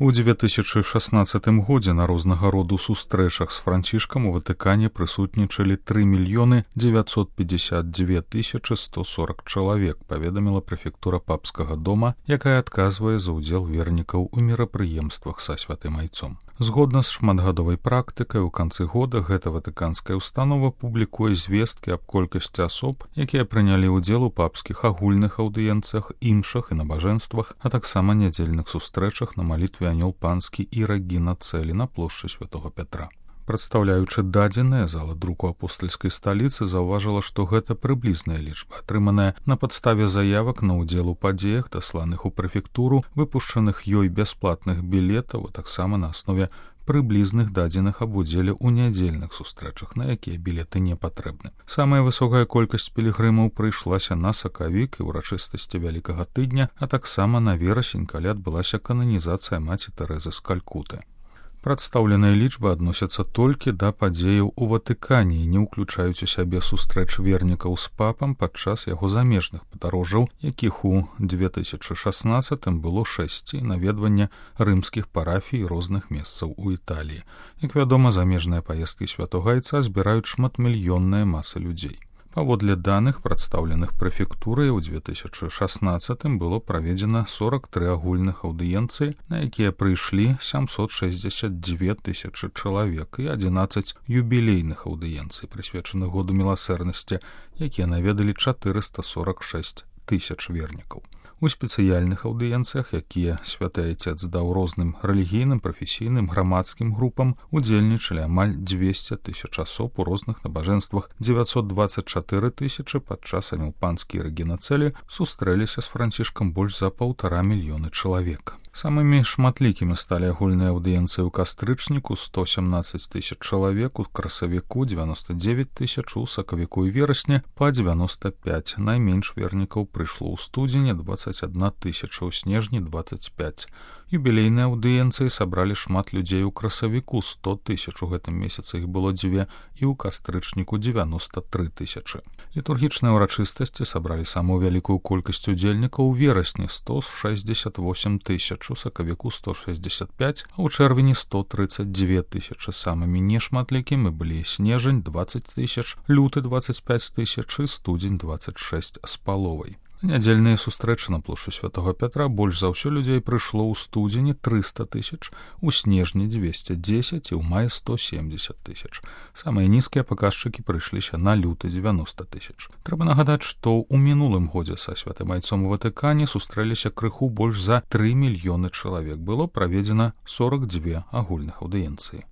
У 2016 годзе на рознага роду сустрэчах з Францішкам у Ватыкане прысутнічалі 3 952 140 чалавек, паведаміла прэфектура папскага дома, якая адказвае за ўдзел вернікаў у мерапрыемствах са святым айцом. Згодна з шматгадовай практыкай, у канцы года гэта ватыканская установа публікуе звесткі аб колькасці асоб, якія прынялі ўдзел у папскіх агульных аўдыенцыях, імшах і набажэнствах, а таксама нядзельных сустрэчах на малітве Анёл Панскі і Рэгіна Цэлі на плошчы Святога Пятра. Прадстаўляючы дадзеныя, зала друку апостальскай сталіцы заўважыла, што гэта прыблізная лічба, атрыманая на падставе заявак на ўдзел у падзеях, дасланых у прэфектуру, выпушчаных ёй бясплатных білетаў, а таксама на аснове прыблізных дадзеных аб удзеле ў нядзельных сустрэчах, на якія білеты не патрэбны. Самая высокая колькасць пілігрымаў прыйшлася на сакавік і ўрачыстасці Вялікага тыдня, а таксама на верасень, калі адбылася кананізацыя маці Тэрэзы з Калькуты. Прадстаўленыя лічбы адносяцца толькі да падзеяў у Ватыкане і не ўключаюць у сябе сустрэч вернікаў з папам падчас яго замежных падарожжаў, якіх у 2016 было 6, наведвання рымскіх парафій розных месцаў у Італіі. Як вядома, замежныя паездкі святога айца збіраюць шматмільённыя масы людзей. Паводле даных, прадстаўленых прэфектурай, у 2016 было праведзена 43 агульных аўдыенцыі, на якія прыйшлі 762 000 чалавек і 11 юбілейных аўдыенцый, прысвечаных году міласэрнасці, якія наведалі 446 000 вернікаў. У спецыяльных аўдыенцыях, якія святы айцец даў розным рэлігійным, прафесійным, грамадскім групам, удзельнічалі амаль 200 000 асоб у розных набажэнствах, 924 000 падчас Анёл Панскі і Рэгіна Цэлі сустрэліся з Францішкам больш за 1,5 мільёны чалавек. Самымі шматлікімі сталі агульныя аўдыенцыі ў кастрычніку 117 000 чалавек, у красавіку 99 000, у сакавіку і верасні па 95. Найменш вернікаў прыйшло ў студзені 21 000, у снежні 25. Юбілейныя аўдыенцыі сабралі шмат людзей у красавіку 100 000, у гэтым месяцы іх было 2, і ў кастрычніку 93 000. Літургічныя ўрачыстасці сабралі самую вялікую колькасць удзельнікаў у верасні 168 000, у сакавіку 165, а ў чэрвені 132 000. Самымі нешматлікімі былі снежань 20 000, люты 25 000 і студзень 26 з паловай. Нядзельныя сустрэчы на плошчы Святога Пятра больш за ўсё людзей прыйшло ў студзені 300 000, у снежні 210 і ў маі 170 000. Самыя нізкія паказчыкі прыйшліся на люты 90 000. Трэба нагадаць, што ў мінулым годзе са святым айцом у Ватыкане сустрэліся крыху больш за 3 мільёны чалавек. Было праведзена 42 агульных аўдыенцыі.